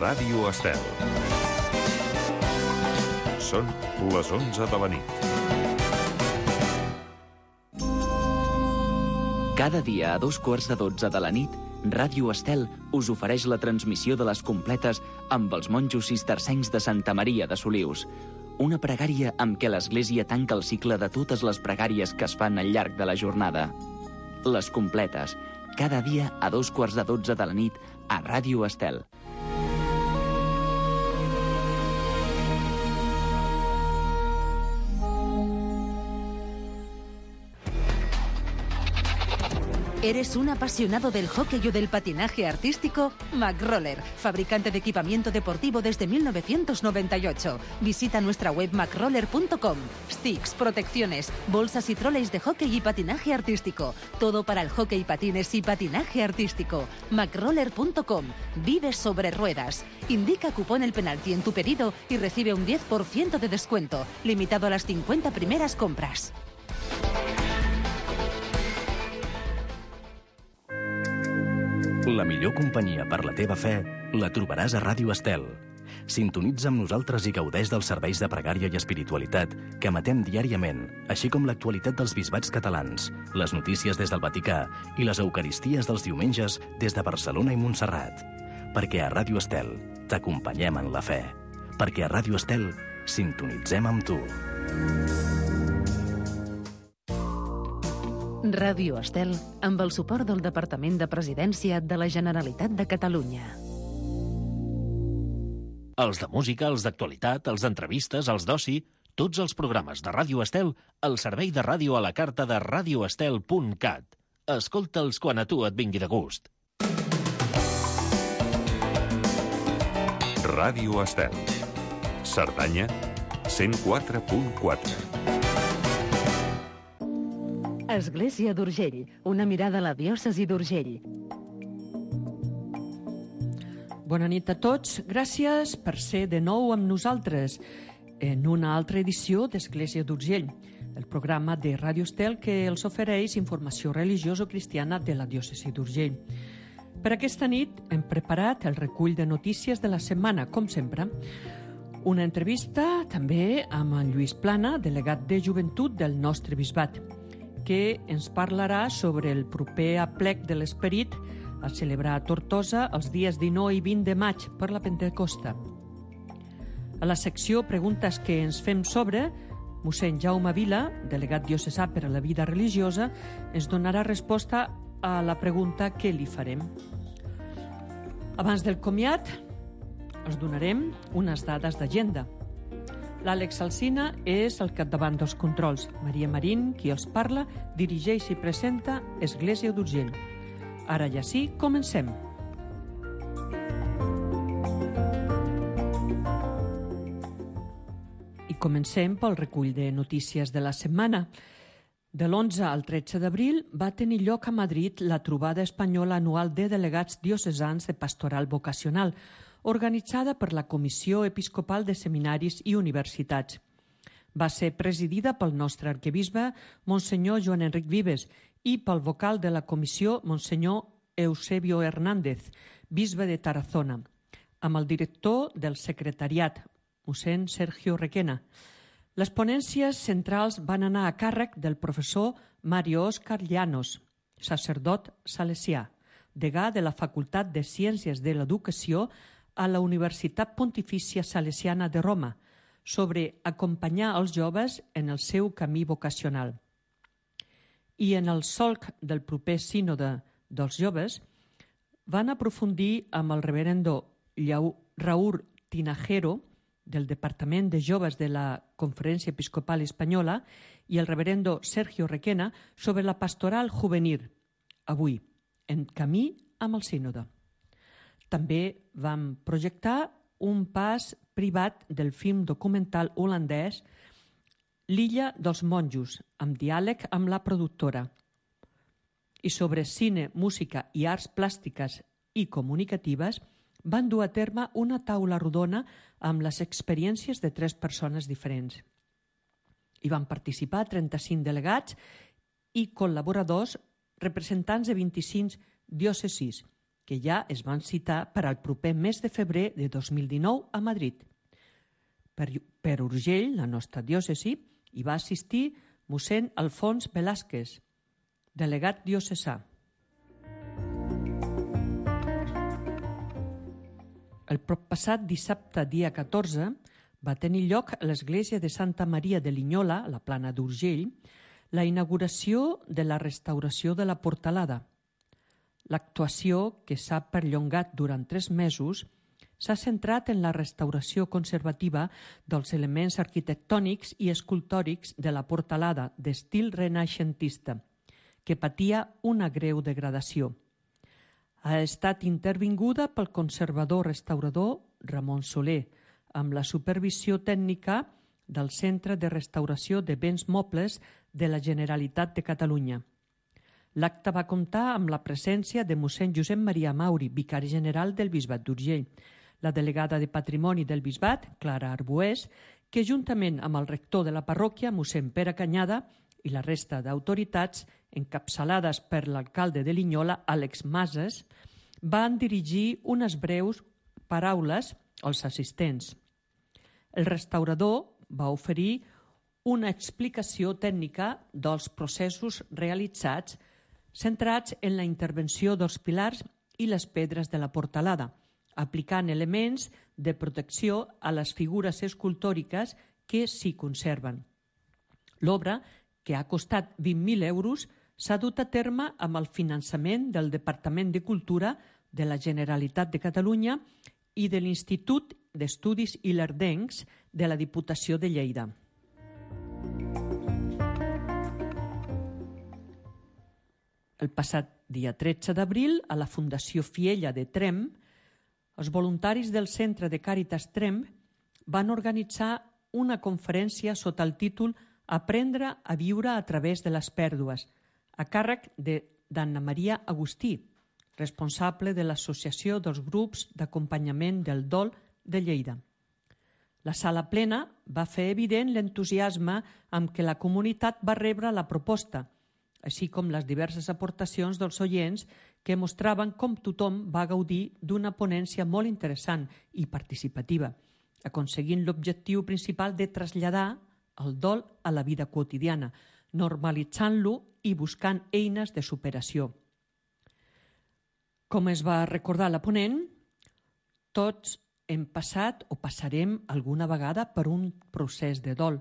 Ràdio Estel. Són les 11 de la nit. Cada dia a 2:15 de la nit, Ràdio Estel us ofereix la transmissió de les completes amb els monjos cistercencs de Santa Maria de Solius. Una pregària amb què l'Església tanca el cicle de totes les pregàries que es fan al llarg de la jornada. Les completes, cada dia a 2:15 de la nit a Ràdio Estel. ¿Eres un apasionado del hockey o del patinaje artístico? McRoller, fabricante de equipamiento deportivo desde 1998. Visita nuestra web macroller.com. Sticks, protecciones, bolsas y troleys de hockey y patinaje artístico. Todo para el hockey, patines y patinaje artístico. macroller.com. Vive sobre ruedas. Indica cupón el penalti en tu pedido y recibe un 10% de descuento, limitado a las 50 primeras compras. La millor companyia per la teva fe la trobaràs a Ràdio Estel. Sintonitza amb nosaltres i gaudeix dels serveis de pregària i espiritualitat que emetem diàriament, així com l'actualitat dels bisbats catalans, les notícies des del Vaticà i les eucaristies dels diumenges des de Barcelona i Montserrat. Perquè a Ràdio Estel t'acompanyem en la fe. Perquè a Ràdio Estel sintonitzem amb tu. Ràdio Estel, amb el suport del Departament de Presidència de la Generalitat de Catalunya. Els de música, els d'actualitat, els d'entrevistes, els d'oci, tots els programes de Ràdio Estel al servei de ràdio a la carta de radioestel.cat. Escolta'ls quan a tu et vingui de gust. Ràdio Estel. Cerdanya, 104.4. Església d'Urgell, una mirada a la diòcesi d'Urgell. Bona nit a tots. Gràcies per ser de nou amb nosaltres en una altra edició d'Església d'Urgell, el programa de Ràdio Estel que els ofereix informació religiosa-cristiana de la diòcesi d'Urgell. Per aquesta nit hem preparat el recull de notícies de la setmana, com sempre. Una entrevista també amb en Lluís Plana, delegat de joventut del nostre bisbat, que ens parlarà sobre el proper aplec de l'Esperit a celebrar a Tortosa els dies 19 i 20 de maig per la Pentecosta. A la secció Preguntes que ens fem sobre, mossèn Jaume Vila, delegat diocesà per a la vida religiosa, ens donarà resposta a la pregunta que li farem. Abans del comiat, us donarem unes dades d'agenda. L'Àlex Alsina és al capdavant dels controls. Maria Marín, qui els parla, dirigeix i presenta Església d'Urgell. Ara ja sí, comencem. I comencem pel recull de notícies de la setmana. De l'11 al 13 d'abril va tenir lloc a Madrid la trobada espanyola anual de delegats diocesans de pastoral vocacional, organitzada per la Comissió Episcopal de Seminaris i Universitats. Va ser presidida pel nostre arquebisbe, Monsenyor Joan Enric Vives, i pel vocal de la comissió, Monsenyor Eusebio Hernández, bisbe de Tarazona, amb el director del secretariat, mossèn Sergio Requena. Les ponències centrals van anar a càrrec del professor Mario Óscar Llanos, sacerdot salesià, degà de la Facultat de Ciències de l'Educació a la Universitat Pontifícia Salesiana de Roma, sobre acompanyar els joves en el seu camí vocacional. I en el solc del proper sínode dels joves, van aprofundir amb el reverendo Raúl Tinajero, del Departament de Joves de la Conferència Episcopal Espanyola, i el reverendo Sergio Requena sobre la pastoral juvenil, avui, en camí amb el sínode. També vam projectar un pas privat del film documental holandès L'illa dels monjos, amb diàleg amb la productora. I sobre cine, música i arts plàstiques i comunicatives van dur a terme una taula rodona amb les experiències de 3 persones diferents. Hi van participar 35 delegats i col·laboradors representants de 25 diòcesis que ja es van citar per al proper mes de febrer de 2019 a Madrid. Per Urgell, la nostra diòcesi, hi va assistir mossèn Alfons Velázquez, delegat diocesà. El passat dissabte, dia 14, va tenir lloc a l'església de Santa Maria de Linyola, a la Plana d'Urgell, la inauguració de la restauració de la Portalada. L'actuació, que s'ha perllongat durant 3 mesos, s'ha centrat en la restauració conservativa dels elements arquitectònics i escultòrics de la Portalada d'estil renaixentista, que patia una greu degradació. Ha estat intervinguda pel conservador restaurador Ramon Soler, amb la supervisió tècnica del Centre de Restauració de Béns Mobles de la Generalitat de Catalunya. L'acte va comptar amb la presència de mossèn Josep Maria Mauri, vicari general del Bisbat d'Urgell, la delegada de Patrimoni del Bisbat, Clara Arbués, que juntament amb el rector de la parròquia, mossèn Pere Canyada, i la resta d'autoritats, encapçalades per l'alcalde de Linyola, Àlex Mases, van dirigir unes breus paraules als assistents. El restaurador va oferir una explicació tècnica dels processos realitzats centrats en la intervenció dels pilars i les pedres de la portalada, aplicant elements de protecció a les figures escultòriques que s'hi conserven. L'obra, que ha costat 20.000 euros, s'ha dut a terme amb el finançament del Departament de Cultura de la Generalitat de Catalunya i de l'Institut d'Estudis Ilerdencs de la Diputació de Lleida. El passat dia 13 d'abril, a la Fundació Fiella de Tremp, els voluntaris del Centre de Càritas Tremp van organitzar una conferència sota el títol Aprendre a viure a través de les pèrdues, a càrrec d'Anna Maria Agustí, responsable de l'Associació dels Grups d'Acompanyament del Dol de Lleida. La sala plena va fer evident l'entusiasme amb què la comunitat va rebre la proposta, així com les diverses aportacions dels oients que mostraven com tothom va gaudir d'una ponència molt interessant i participativa, aconseguint l'objectiu principal de traslladar el dol a la vida quotidiana, normalitzant-lo i buscant eines de superació. Com es va recordar la ponent, tots hem passat o passarem alguna vegada per un procés de dol.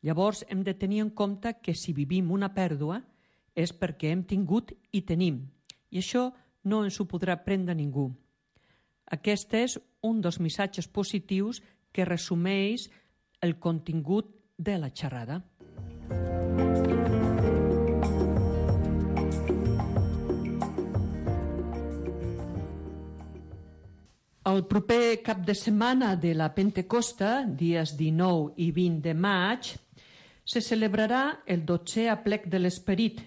Llavors hem de tenir en compte que si vivim una pèrdua és perquè hem tingut i tenim, i això no ens ho podrà prendre ningú. Aquest és un dels missatges positius que resumeix el contingut de la xerrada. El proper cap de setmana de la Pentecosta, dies 19 i 20 de maig, se celebrarà el 12è aplec de l'Esperit.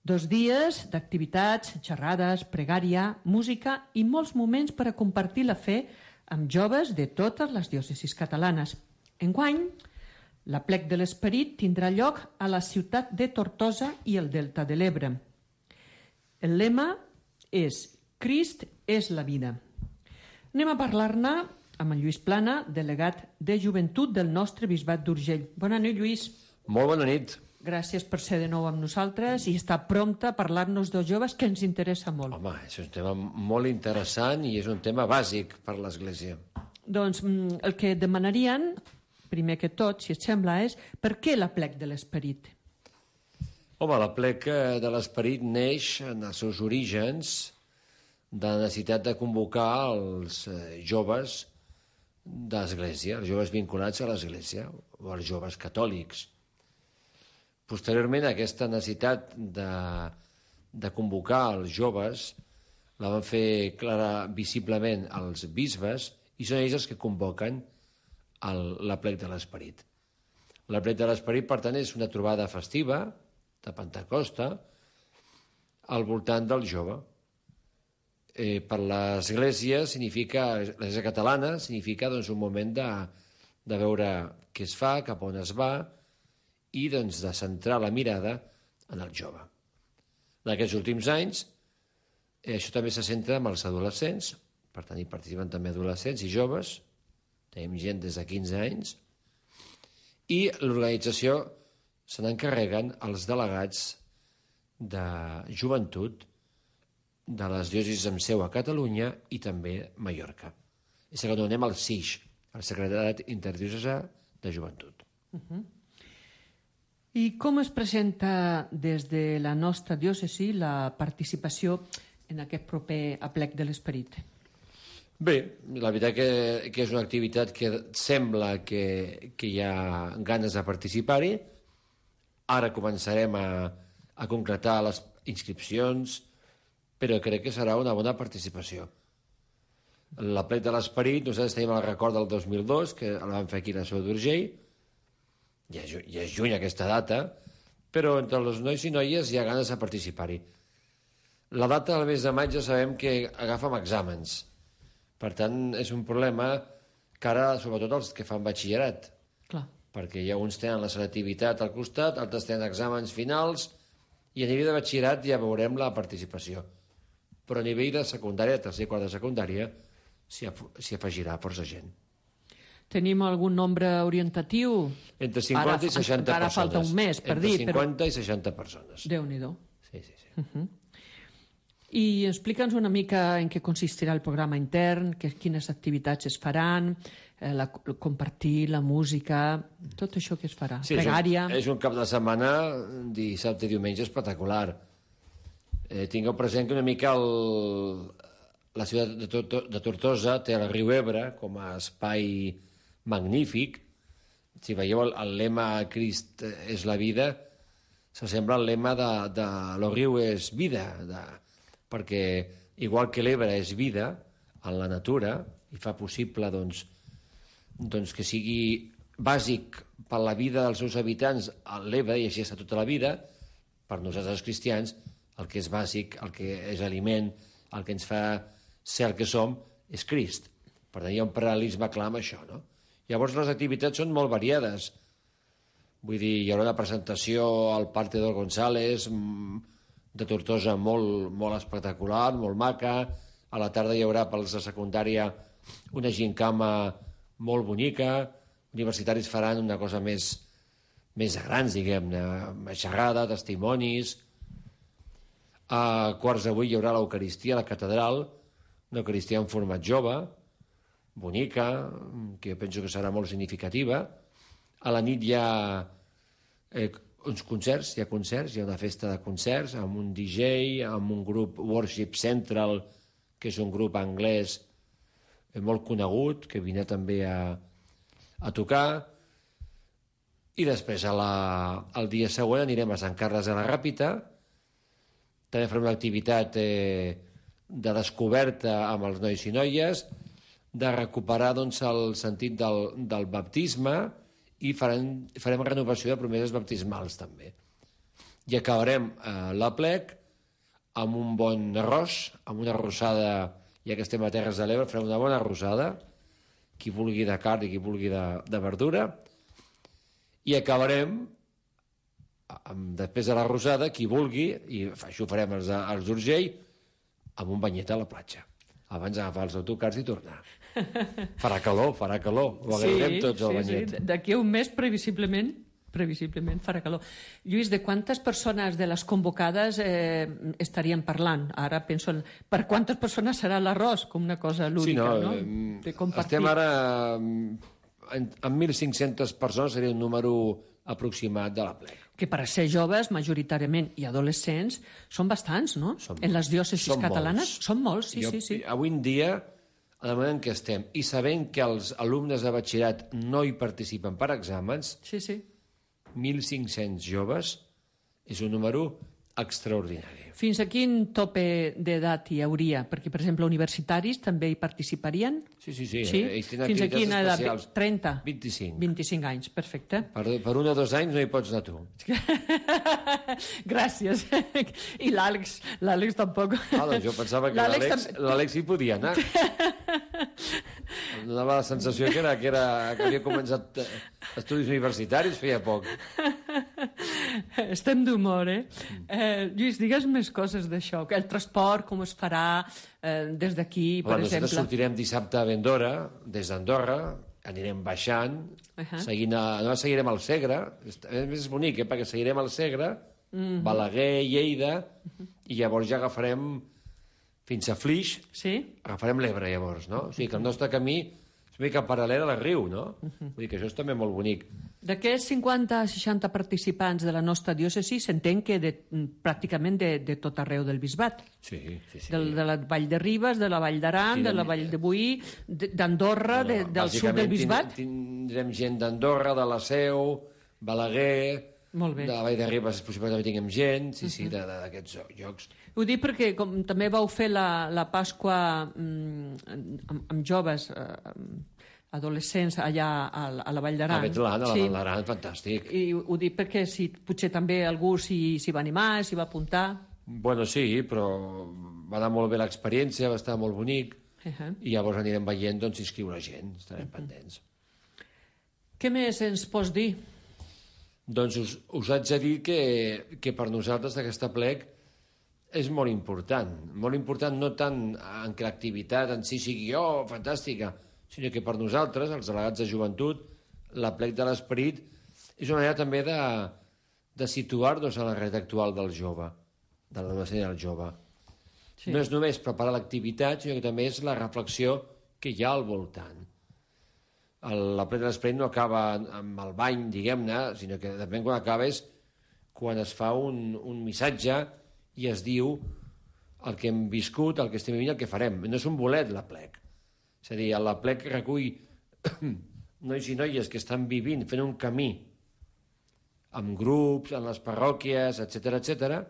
2 dies d'activitats, xerrades, pregària, música i molts moments per a compartir la fe amb joves de totes les diòcesis catalanes. Enguany, l'aplec de l'Esperit tindrà lloc a la ciutat de Tortosa i el Delta de l'Ebre. El lema és Crist és la vida. Anem a parlar-ne amb en Lluís Plana, delegat de Joventut del nostre Bisbat d'Urgell. Bona nit, Lluís. Molt bona nit. Gràcies per ser de nou amb nosaltres i estar prompte a parlar-nos dels joves, que ens interessa molt. Home, és un tema molt interessant i és un tema bàsic per l'Església. Doncs el que demanarien, primer que tot, si et sembla, és per què l'aplec de l'Esperit? Home, l'aplec de l'Esperit neix en els seus orígens de la necessitat de convocar els joves de l'Església, els joves vinculats a l'Església, o els joves catòlics. Posteriorment, aquesta necessitat de convocar els joves la van fer clara visiblement els bisbes i són ells els que convoquen l'aplec de l'Esperit. L'aplec de l'Esperit, per tant, és una trobada festiva de Pentecosta al voltant del jove. Per l'Església significa, l'Església catalana significa doncs, un moment de veure què es fa, cap on es va i doncs, de centrar la mirada en el jove. En aquests últims anys Això també se centra en els adolescents, per tant hi participen també adolescents i joves, tenim gent des de 15 anys, i l'organització se n'encarreguen els delegats de joventut de les diòcesis amb seu a Catalunya i també Mallorca. És que donem el SIJ, el Secretariat Interdiocesà de Joventut. I com es presenta des de la nostra diòcesi la participació en aquest proper aplec de l'Esperit? Bé, la veritat que és una activitat que sembla que hi ha ganes de participar-hi. Ara començarem a concretar les inscripcions, però crec que serà una bona participació. L'aplec de l'Esperit, nosaltres tenim el record del 2002, que el vam fer aquí a la Seu d'Urgell, ja és juny aquesta data, però entre els nois i noies hi ha ganes de participar-hi. La data del mes de maig ja sabem que agafem exàmens. Per tant, és un problema que ara, sobretot els que fan batxillerat, Clar. perquè ja uns tenen la selectivitat al costat, altres tenen exàmens finals, i a nivell de batxillerat ja veurem la participació. Però a nivell de secundària, tercer i quart de secundària, s'hi afegirà força gent. Tenim algun nombre orientatiu? Entre 50 i 60 persones. Ara falta un mes per dir. Entre 50 i 60 persones. Déu-n'hi-do. Sí. I explica'ns una mica en què consistirà el programa intern, quines activitats es faran, compartir la música, tot això que es farà. Sí, pregària. És un cap de setmana, dissabte i diumenge, espectacular. Tingueu present que una mica la ciutat de Tortosa té el riu Ebre com a espai magnífic. Si veieu el lema Crist és la vida, s'assembla al lema de lo riu és vida, perquè igual que l'Ebre és vida en la natura i fa possible doncs, que sigui bàsic per la vida dels seus habitants l'Ebre, i així està tota la vida, per nosaltres els cristians el que és bàsic, el que és aliment, el que ens fa ser el que som, és Crist. Per tant, hi ha un paral·lelisme clar amb això, no? Llavors les activitats són molt variades. Vull dir, hi haurà una presentació al Parc Teodor González de Tortosa molt espectacular, molt maca. A la tarda hi haurà pels de secundària una gincama molt bonica. Universitaris faran una cosa més de grans, diguem-ne, xerrada, testimonis. A quarts de 8 hi haurà l'Eucaristia a la catedral, una Eucaristia en format jove, bonica, que jo penso que serà molt significativa. A la nit hi ha uns concerts, hi ha una festa de concerts amb un DJ, amb un grup Worship Central, que és un grup anglès molt conegut, que vindrà també a tocar. I després, el dia següent, anirem a Sant Carles de la Ràpita. També farem una activitat de descoberta amb els nois i noies, de recuperar doncs, el sentit del baptisme, i farem renovació de promeses baptismals també. I acabarem l'aplec amb un bon arròs, amb una arrossada, ja que estem a Terres de l'Ebre, farem una bona arrossada, qui vulgui de carn i qui vulgui de verdura, i acabarem, després de l'arrossada, qui vulgui, i això ho farem als d'Urgell, amb un banyet a la platja, abans d'agafar els autocars i tornar. Farà calor, ho agrairem tots al banyet. Sí. D'aquí a un mes, previsiblement farà calor. Lluís, de quantes persones de les convocades estaríem parlant? Ara penso per quantes persones serà l'arròs, com una cosa lúdica, no? De compartir. Estem ara amb 1.500 persones, seria un número aproximat de l'aplec. Que per a ser joves, majoritàriament, i adolescents, són bastants, no? En les diòcesis catalanes són molts, sí. Avui en dia, en el moment en què estem, i sabent que els alumnes de batxillerat no hi participen per exàmens, 1.500 joves és un número extraordinari. Fins a quin tope d'edat hi hauria? Perquè, per exemple, universitaris també hi participarien? Sí. Ells tenen fins a quina edat? 30? 25. 25 anys, perfecte. Per 1 o 2 anys no hi pots anar tu. Gràcies. I l'Àlex tampoc. Jo pensava que l'Àlex hi podia anar. Em donava la sensació que havia començat estudis universitaris feia poc. Estem d'humor, Lluís, digues més coses d'això. El transport, com es farà des d'aquí, per exemple? Nosaltres sortirem dissabte a Vendora, des d'Andorra, anirem baixant, no seguirem al Segre, és bonic, perquè seguirem al Segre, Balaguer, Lleida, i llavors ja agafarem fins a Flix, agafarem l'Ebre, llavors, no? O sigui que el nostre camí és una mica paral·lel al riu, no? Vull dir que això és també molt bonic. D'aquests 50-60 participants de la nostra diòcesi s'entén que pràcticament de tot arreu del bisbat. Sí. De la Vall de Ribes, de la Vall d'Aran, de la Vall de Boí, d'Andorra, del sud del bisbat. Tindrem gent d'Andorra, de la Seu, Balaguer, de la Vall de Ribes és possible que també tinguem gent, d'aquests llocs. Ho dic perquè com també vau fer la Pasqua amb joves adolescents allà a la Vall d'Aran. A Betlan, a la Vall d'Aran, fantàstic. I ho dic perquè potser també algú s'hi va animar, s'hi va apuntar. Bueno, sí, però va anar molt bé l'experiència, va estar molt bonic, i llavors anirem veient si inscriure gent, estarem pendents. Què més ens pots dir? Doncs us haig de dir que per nosaltres aquest aplec és molt important no tant en que l'activitat en si sigui fantàstica, sinó que per nosaltres, els delegats de joventut, l'aplec de l'esperit és una manera també de situar-nos a la realitat actual del jove, de l'adolescent del jove. No és només preparar l'activitat, sinó que també és la reflexió que hi ha al voltant. L'aplec de l'esperit no acaba amb el bany, diguem-ne, sinó que també quan acaba és quan es fa un missatge i es diu el que hem viscut, el que estem vivint, el que farem. No és un bolet, l'aplec. És a dir, l'aplec recull nois i noies que estan vivint, fent un camí amb grups, en les parròquies, etc,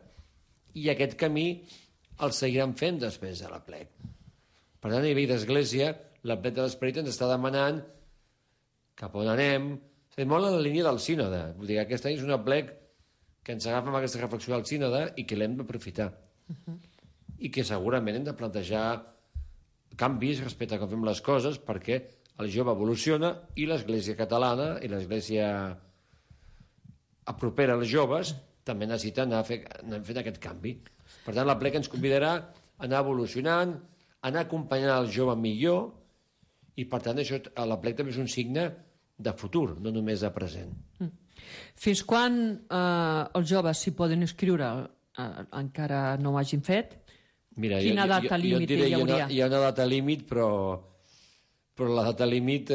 i aquest camí el seguiran fent després de l'aplec. Per tant, a nivell d'església, l'aplec de l'esperit ens està demanant cap on anem, és molt en la línia del sínode. Vull dir que aquest any és un aplec que ens agafa amb aquesta reflexió del sínode i que l'hem d'aprofitar. I que segurament hem de plantejar canvis respecte a com fem les coses perquè el jove evoluciona i l'Església catalana i l'Església propera als joves també necessita anar fent aquest canvi. Per tant, l'aplec ens convidarà a anar evolucionant, a anar acompanyant el jove millor i, per tant, l'aplec també és un signe de futur, no només de present. Fins quan els joves s'hi poden inscriure? Encara no ho hagin fet? Mira, quina data límit hi hauria? Hi ha una data límit, però la data límit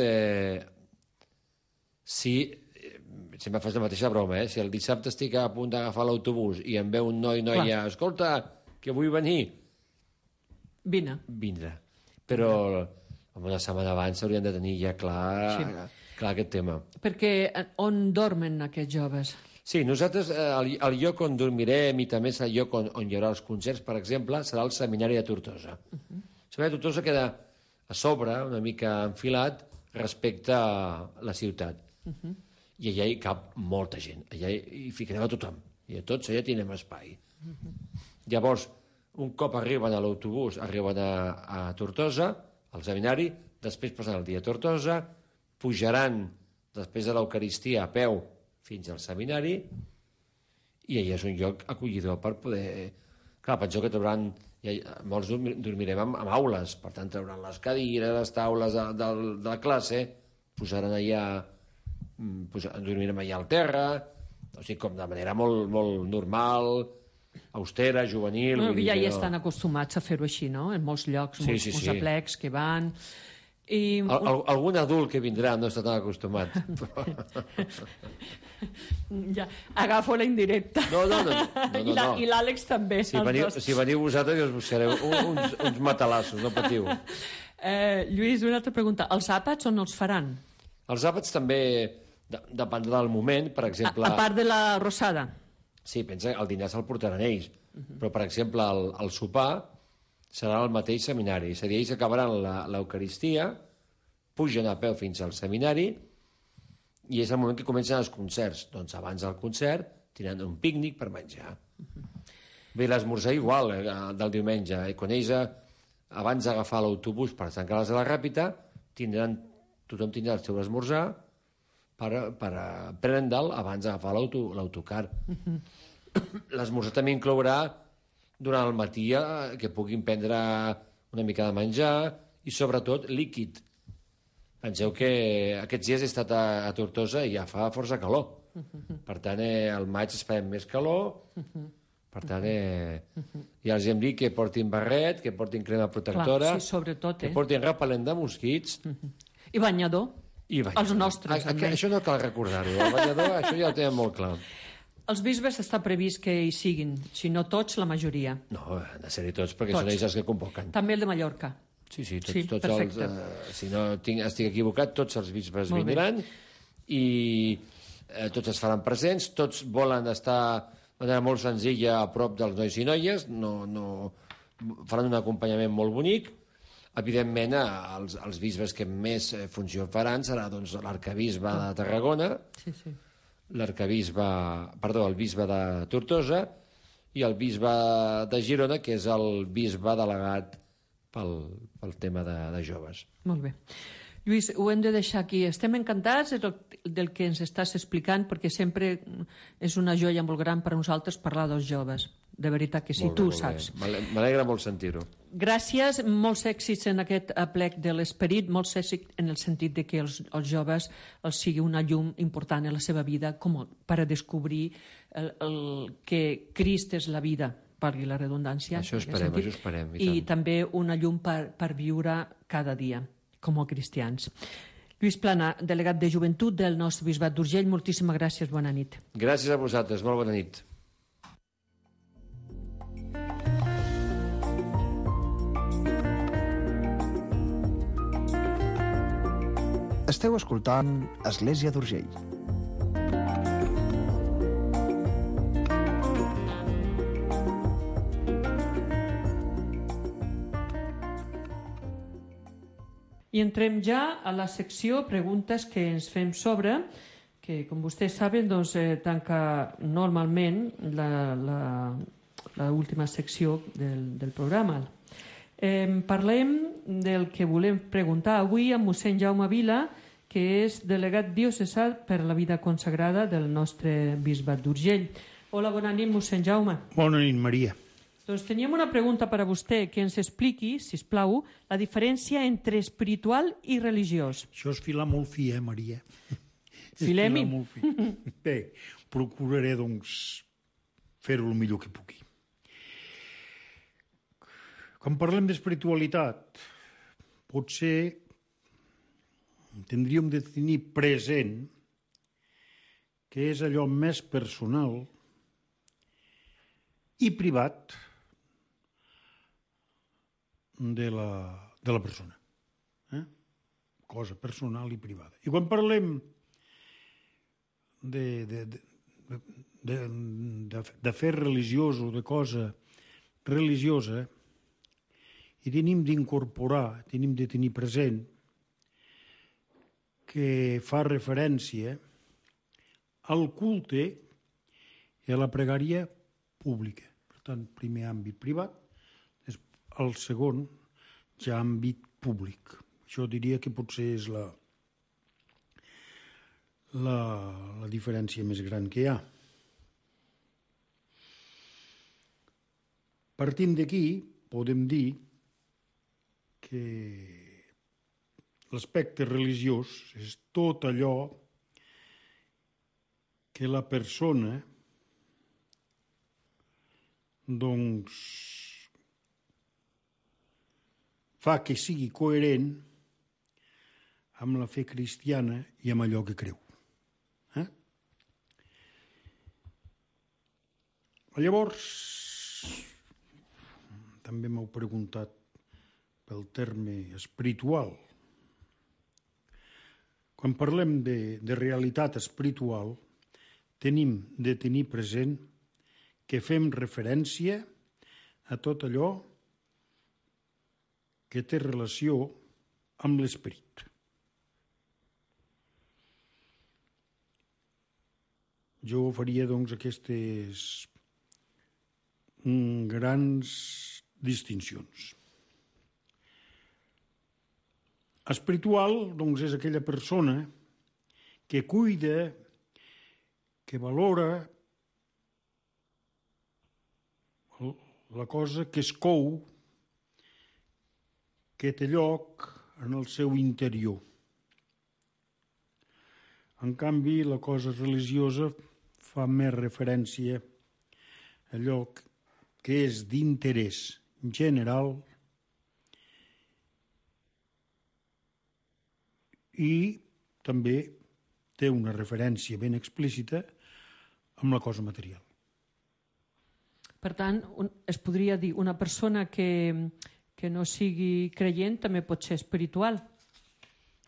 sempre fas la mateixa broma, si el dissabte estic a punt d'agafar l'autobús i em veu un noi i noia, escolta, que vull venir, vindrà. Però una setmana abans s'haurien de tenir ja clar aquest tema. Perquè on dormen aquests joves? Sí, nosaltres el lloc on dormirem i també és el lloc on hi haurà els concerts, per exemple, serà el Seminari de Tortosa. El Seminari de Tortosa queda a sobre, una mica enfilat, respecte a la ciutat. I allà hi cap molta gent. Allà hi ficarem a tothom. I a tots allà tindrem espai. Llavors, un cop arriben a l'autobús, arriben a Tortosa, al seminari, després passen el dia a Tortosa, pujaran després de l'Eucaristia a peu fins al seminari i allà és un lloc acollidor per poder... Clar, penseu que trauran... Molts dormirem amb aules, per tant trauran les cadires, les taules de la classe, posaran allà... dormirem allà al terra, o sigui, com de manera molt, molt normal, austera, juvenil... Ja hi estan acostumats a fer-ho així, no? En molts llocs, molts aplecs que van... Algun adult que vindrà no està tan acostumat. Ja, agafo la indirecta. No. I l'Àlex també. Si veniu vosaltres, us buscareu uns matalassos, no patiu. Lluís, una altra pregunta. Els àpats on els faran? Els àpats també dependrà del moment, per exemple... A part de la rosada? Sí, pensa que el dinar se'l portaran ells. Però, per exemple, el sopar serà al mateix seminari. És a dir, ells acabaran l'Eucaristia, pugen a peu fins al seminari i és el moment que comencen els concerts. Doncs abans del concert tindran un pícnic per menjar. Bé, l'esmorzar igual del diumenge. Quan ells, abans d'agafar l'autobús per tancar les de la Ràpita, tothom tindrà el seu esmorzar, per Prendal abans d'agafar l'autocar. L'esmorzar també inclourà durant el matí que puguin prendre una mica de menjar i sobretot líquid. Penseu que aquests dies he estat a Tortosa i ja fa força calor. Per tant, al maig esperem més calor. Per tant, ja els hem dit que portin barret, que portin crema protectora, clar, sí, sobretot, que portin repel·lent de mosquits. I banyador. Els nostres, Això no cal recordar-ho. El banyador, això ja ho tenen molt clar. Els bisbes està previst que hi siguin, si no tots, la majoria. No, han de ser-hi tots, perquè són ells els que convoquen. També el de Mallorca. Sí, tots els... Si no estic equivocat, tots els bisbes vindran i tots es faran presents, tots volen estar de manera molt senzilla a prop dels nois i noies, faran un acompanyament molt bonic. Evidentment, els bisbes que més funció faran serà l'arcabisbe de Tarragona, el bisbe de Tortosa i el bisbe de Girona, que és el bisbe delegat pel tema de joves. Molt bé. Lluís, ho hem de deixar aquí. Estem encantats del que ens estàs explicant, perquè sempre és una joia molt gran per a nosaltres parlar dels joves. De veritat que sí, tu ho saps. M'alegra molt sentir-ho. Gràcies, molts èxits en aquest aplec de l'esperit, molts èxits en el sentit de que els joves els sigui una llum important en la seva vida com per a descobrir que Crist és la vida, valgui la redundància. Això esperem. I també una llum per viure cada dia com a cristians. Lluís Plana, delegat de Joventut del nostre bisbat d'Urgell, moltíssimes gràcies, bona nit. Gràcies a vosaltres, molt bona nit. Esteu escoltant Església d'Urgell. I entrem ja a la secció preguntes que ens fem sobre, que com vostès saben tanca normalment l'última secció del programa. Parlem del que volem preguntar avui amb mossèn Jaume Vila, que és delegat diocesà per la vida consagrada del nostre bisbat d'Urgell. Hola, bona nit, mossèn Jaume. Bona nit, Maria. Doncs teníem una pregunta per a vostè, que ens expliqui, sisplau, la diferència entre espiritual i religiós. Això és filar molt fi, Maria? Filem-hi. Bé, procuraré, fer-ho el millor que pugui. Quan parlem d'espiritualitat, potser tindríem de tenir present que és allò més personal i privat de la persona. Cosa personal i privada. I quan parlem de fer religiós o de cosa religiosa, i tenim d'incorporar, tenim de tenir present que fa referència al culte i a la pregària pública. Per tant, primer àmbit privat, el segon ja àmbit públic. Això diria que potser és la diferència més gran que hi ha. Partint d'aquí, podem dir que l'aspecte religiós és tot allò que la persona fa que sigui coherent amb la fe cristiana i amb allò que creu. Llavors, també m'heu preguntat pel terme espiritual. Quan parlem de realitat espiritual, tenim de tenir present que fem referència a tot allò que té relació amb l'esperit. Jo faria, aquestes grans distincions. Espiritual, és aquella persona que cuida, que valora la cosa que es cou, que té lloc en el seu interior. En canvi, la cosa religiosa fa més referència a allò que és d'interès general i també té una referència ben explícita amb la cosa material. Per tant, es podria dir una persona que no sigui creient també pot ser espiritual?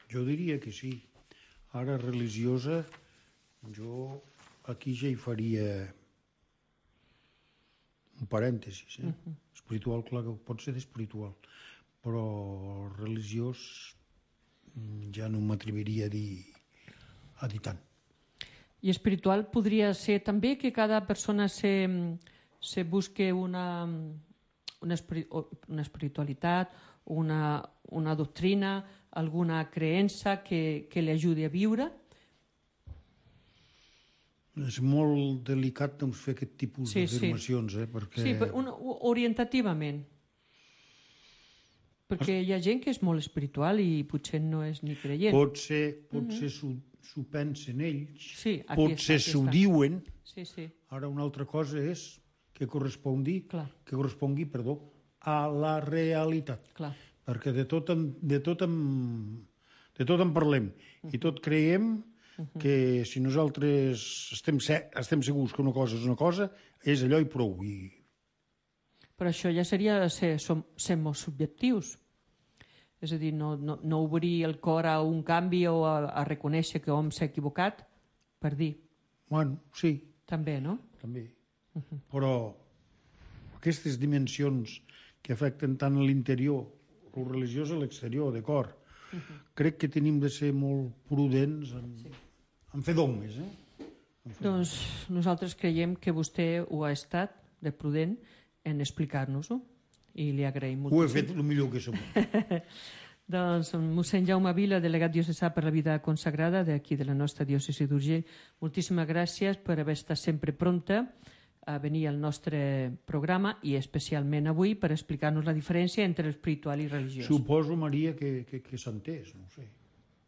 Jo diria que sí. Ara, religiosa, jo aquí ja hi faria un parèntesis. Espiritual, clar que pot ser d'espiritual, però religiós ja no m'atreviria a dir tant. I espiritual podria ser també que cada persona se busque una espiritualitat, una doctrina, alguna creença que li ajudi a viure? És molt delicat doncs, fer aquest tipus d'afirmacions. Perquè... Sí, orientativament. Perquè hi ha gent que és molt espiritual i potser no és ni creient. Potser s'ho pensen ells, potser s'ho diuen. Sí. Ara una altra cosa és que correspongui a la realitat. Clar. Perquè de tot en parlem i tot creiem que si nosaltres estem segurs que una cosa és una cosa, és allò i prou. Però això ja seria ser molt subjectius. És a dir, no obrir el cor a un canvi o a reconèixer que hom s'ha equivocat per dir. Bueno, sí. També, no? També. Però aquestes dimensions que afecten tant a l'interior, el religiós a l'exterior, de cor, crec que tenim de ser molt prudents en fer dogmes. Doncs nosaltres creiem que vostè ho ha estat de prudent en explicar-nos-ho i li agraïm moltíssim. Ho he fet el millor que som. Doncs mossèn Jaume Vila, delegat diocesà per la vida consagrada d'aquí de la nostra diòcesi d'Urgell, moltíssimes gràcies per haver estat sempre prompte a venir al nostre programa i especialment avui per explicar-nos la diferència entre espiritual i religiós. Suposo, Maria, que s'ha entès, no ho sé.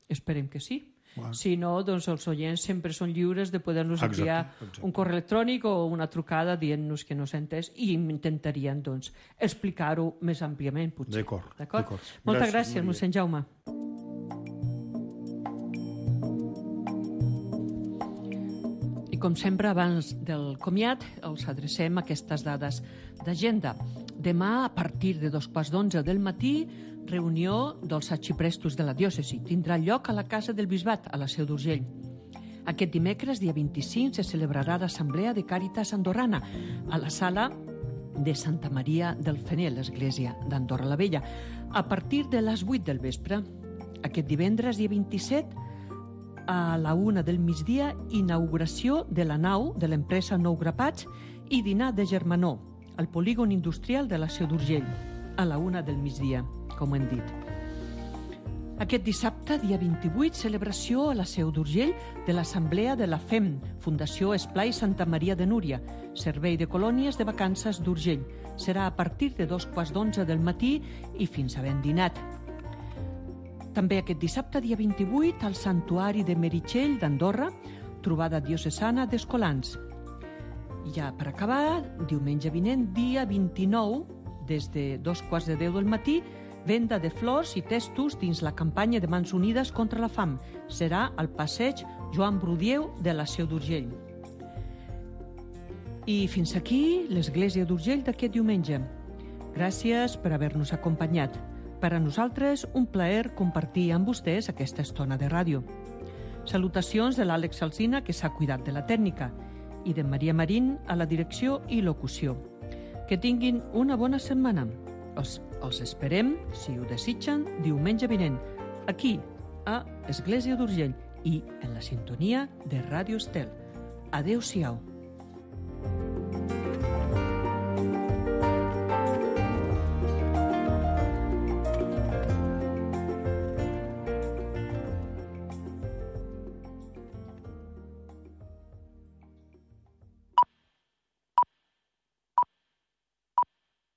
Esperem que sí. Bueno. Si no, doncs els oients sempre són lliures de poder-nos enviar un correu electrònic o una trucada dient-nos que no s'ha entès i intentarien doncs, explicar-ho més àmpliament, potser. D'acord. Moltes gràcies, mossèn Jaume. I com sempre, abans del comiat, els adrecem aquestes dades d'agenda. Demà, a partir de 11:15 del matí, reunió dels arxiprestos de la diòcesi. Tindrà lloc a la Casa del Bisbat, a la Seu d'Urgell. Aquest dimecres, dia 25, se celebrarà l'Assemblea de Càritas Andorrana a la sala de Santa Maria del Fener, l'església d'Andorra la Vella, a partir de les 8 del vespre. Aquest divendres, dia 27, a la 1 del migdia, inauguració de la nau de l'empresa Nou Grapats i dinar de germanor al polígon industrial de la Seu d'Urgell, a la 1 del migdia, com hem dit. Aquest dissabte, dia 28, celebració a la Seu d'Urgell de l'Assemblea de la FEM, Fundació Esplai Santa Maria de Núria, Servei de Colònies de Vacances d'Urgell. Serà a partir de 11:15 del matí i fins a ben dinat. També aquest dissabte, dia 28, al Santuari de Meritxell d'Andorra, trobada diocesana d'Escolans. I ja per acabar, diumenge vinent, dia 29, des de 2:15 del matí, venda de flors i testos dins la campanya de Mans Unides contra la fam. Serà al passeig Joan Brudieu de la Seu d'Urgell. I fins aquí l'església d'Urgell d'aquest diumenge. Gràcies per haver-nos acompanyat. Per a nosaltres, un plaer compartir amb vostès aquesta estona de ràdio. Salutacions de l'Àlex Alsina, que s'ha cuidat de la tècnica, i de Maria Marín a la direcció i locució. Que tinguin una bona setmana. Els esperem, si ho desitgen, diumenge vinent, aquí, a Església d'Urgell i en la sintonia de Ràdio Estel. Adéu-siau.